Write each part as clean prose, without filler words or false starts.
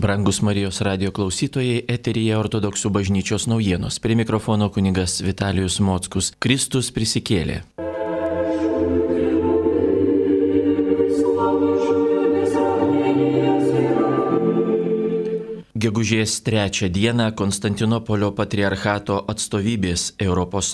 Brangus Marijos radio klausytojai, eteryje Ortodoksų bažnyčios naujienos. Prie mikrofono kunigas Vitalijus Mockus. Kristus prisikėlė. Gegužės 3 dieną Konstantinopolio patriarchato atstovybės ES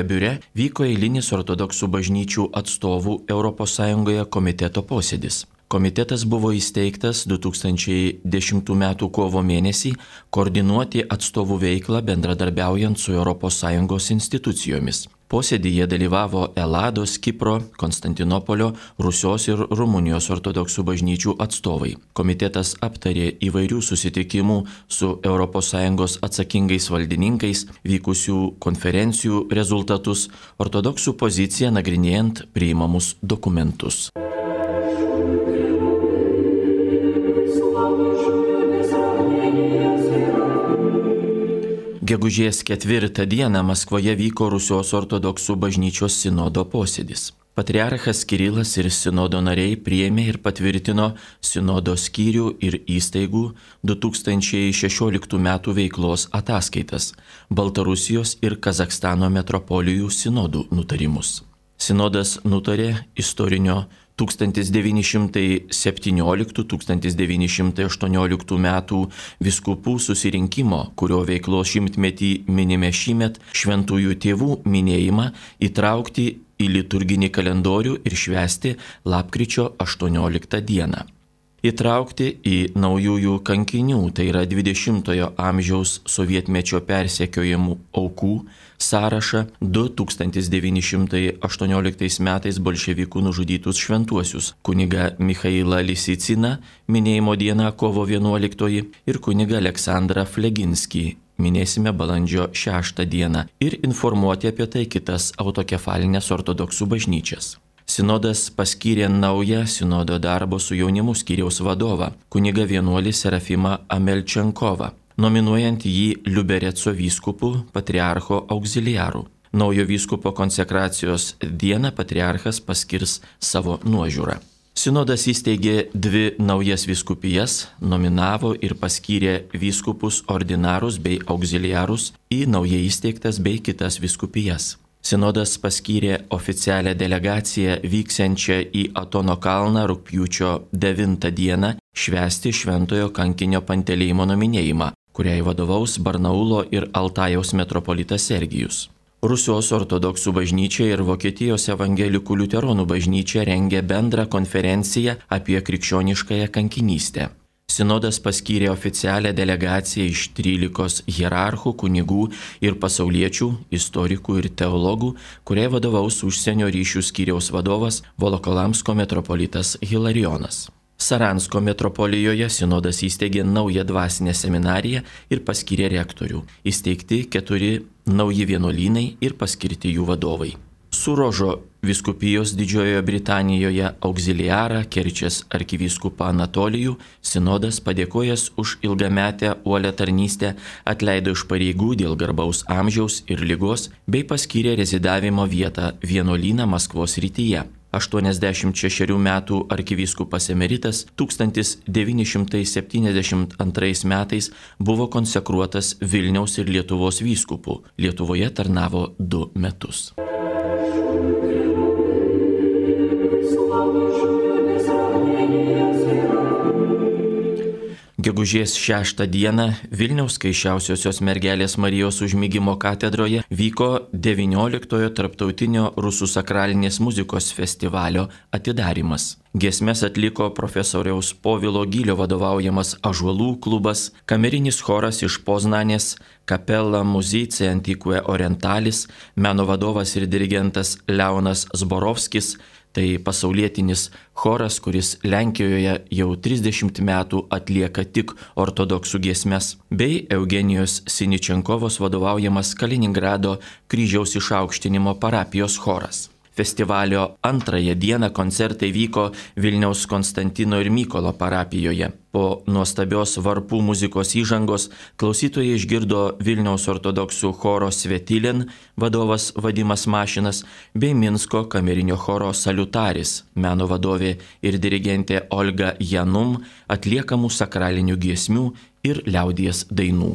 biure vyko eilinis ortodoksų bažnyčių atstovų ES komiteto posėdis. Komitetas buvo įsteigtas 2010 m. kovo mėnesį koordinuoti atstovų veiklą bendradarbiaujant su ES institucijomis. Posėdyje dalyvavo Elados, Kipro, Konstantinopolio, Rusios ir Rumunijos ortodoksų bažnyčių atstovai. Komitetas aptarė įvairių susitikimų su ES atsakingais valdininkais, vykusių konferencijų rezultatus, ortodoksų poziciją nagrinėjant priimamus dokumentus. Gegužės 4 dieną Maskvoje vyko Rusios ortodoksų bažnyčios sinodo posėdis. Patriarchas Kirilas ir sinodo nariai priėmė ir patvirtino sinodo skyrių ir įstaigų 2016 m. veiklos ataskaitas, Baltarusijos ir Kazachstano metropolijų sinodų nutarimus. Sinodas nutarė istorinio 1917–1918 metų vyskupų susirinkimo, kurio veiklos šimtmetį minime šįmet, šventųjų tėvų minėjimą įtraukti į liturginį kalendorių ir švęsti lapkričio 18 dieną. Įtraukti į naujųjų kankinių, tai yra 20-ojo amžiaus sovietmečio persekiojimų aukų sąrašą 1918 metais bolševikų nužudytus šventuosius kunigą Michailą Lisiciną minėjimo dieną kovo 11 ir kunigą Aleksandrą Fleginskį minėsime balandžio 6 dieną ir informuoti apie tai kitas autokefalinės ortodoksų bažnyčias. Sinodas paskyrė naują sinodo darbo su jaunimu skyriaus vadovą, kunigą vienuolį Serafimą Amelčenkovą, nominuojant jį Liubereco vyskupu patriarcho auxiliaru. Naujo vyskupo konsekracijos dieną patriarchas paskirs savo nuožiūrą. Sinodas įsteigė 2 naujas vyskupijas, nominavo ir paskyrė vyskupus ordinarus bei auxiliarus į naujai įsteigtas bei kitas vyskupijas. Sinodas paskyrė oficialią delegaciją vyksiančią į Atono kalną rugpjūčio 9 dieną švęsti šventojo kankinio Panteleimono minėjimą, kuriai vadovaus Barnaulo ir Altajaus metropolitas Sergijus. Rusijos ortodoksų bažnyčia ir Vokietijos evangelikų liuteronų bažnyčia rengia bendrą konferenciją apie krikščioniškąją kankinystę. Sinodas paskyrė oficialią delegaciją iš 13 hierarchų, kunigų ir pasauliečių, istorikų ir teologų, kuriai vadovaus užsienio ryšių skyriaus vadovas Volokolamsko metropolitas Hilarijonas. Saransko metropolijoje sinodas įsteigė naują dvasinę seminariją ir paskyrė rektorių. Įsteigti 4 nauji vienuolynai ir paskirti jų vadovai. Surožo vyskupijos Didžiojoje Britanijoje auxiliarą Kerčės arkivyskupą Anatolijų sinodas padėkojęs už ilgametę uolią tarnystę atleido iš pareigų dėl garbaus amžiaus ir ligos bei paskyrė rezidavimo vietą vienuolyną Maskvos rytyje. 86 metų arkivyskupas emeritas 1972 metais buvo konsekruotas Vilniaus ir Lietuvos vyskupu. Lietuvoje tarnavo 2 metus. Gegužės 6 dieną Vilniaus Skaisčiausiosios mergelės Marijos užmigimo katedroje vyko 19-ojo tarptautinio rusų sakralinės muzikos festivalio atidarymas. Giesmes atliko profesoriaus Povilo Gylio vadovaujamas Ąžuolų klubas, kamerinis choras iš Poznanės, Capella Musicae Antiquae Orientalis, meno vadovas ir dirigentas Leonas Zborovskis, tai pasaulietinis choras, kuris Lenkijoje jau 30 metų atlieka tik ortodoksų giesmes, bei Eugenijos Siničenkovos vadovaujamas Kaliningrado kryžiaus išaukštinimo parapijos choras. Festivalio 2 dieną koncertai vyko Vilniaus Konstantino ir Mykolo parapijoje. Po nuostabios varpų muzikos įžangos klausytojai išgirdo Vilniaus ortodoksų choro Svetilin vadovas Vadimas Mašinas bei Minsko kamerinio choro Salutaris, meno vadovė ir dirigentė Olga Janum atliekamų sakralinių giesmių ir liaudies dainų.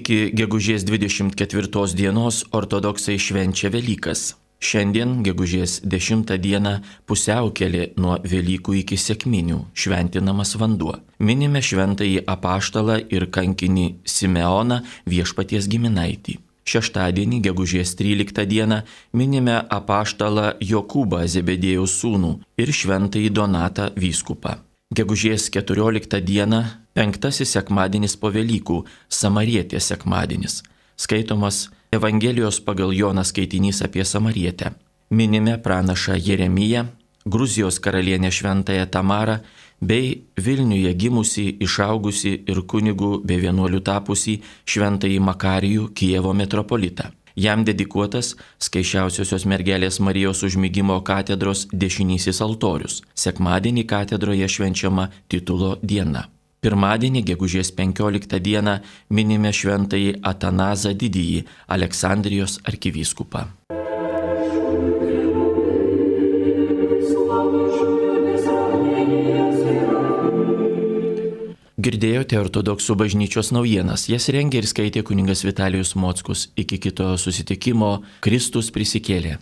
Iki gegužės 24 dienos ortodoksai švenčia Velykas. Šiandien, gegužės 10 dieną, pusiaukelė nuo Velykų iki Sekminių, šventinamas vanduo. Minime šventąjį apaštalą ir kankinį Simeoną, Viešpaties giminaitį. Šeštadienį, gegužės 13 dieną, minime apaštalą Jokūbą Zebedėjaus sūnų ir šventąjį Donatą vyskupą. Gegužės 14 dieną, 5 sekmadienis po Velykų, Samarietės sekmadienis. Skaitomas Evangelijos pagal Joną skaitinys apie Samarietę. Minime pranašą Jeremiją, Gruzijos karalienę šventąją Tamarą bei Vilniuje gimusi, išaugusi ir kunigų bei vienuolių tapusi šventąjį Makarijų Kijevo metropolitą. Jam dedikuotas Skaičiausiosios mergelės Marijos užmigimo katedros dešinysis altorius. Sekmadienį katedroje švenčiama titulo diena. Pirmadienį, gegužės 15 dieną, minime šventąjį Atanazą Didįjį, Aleksandrijos arkivyskupą. Girdėjote ortodoksų bažnyčios naujienas, jas rengė ir skaitė kunigas Vitalijus Mockus. Iki kito susitikimo, Kristus prisikėlė.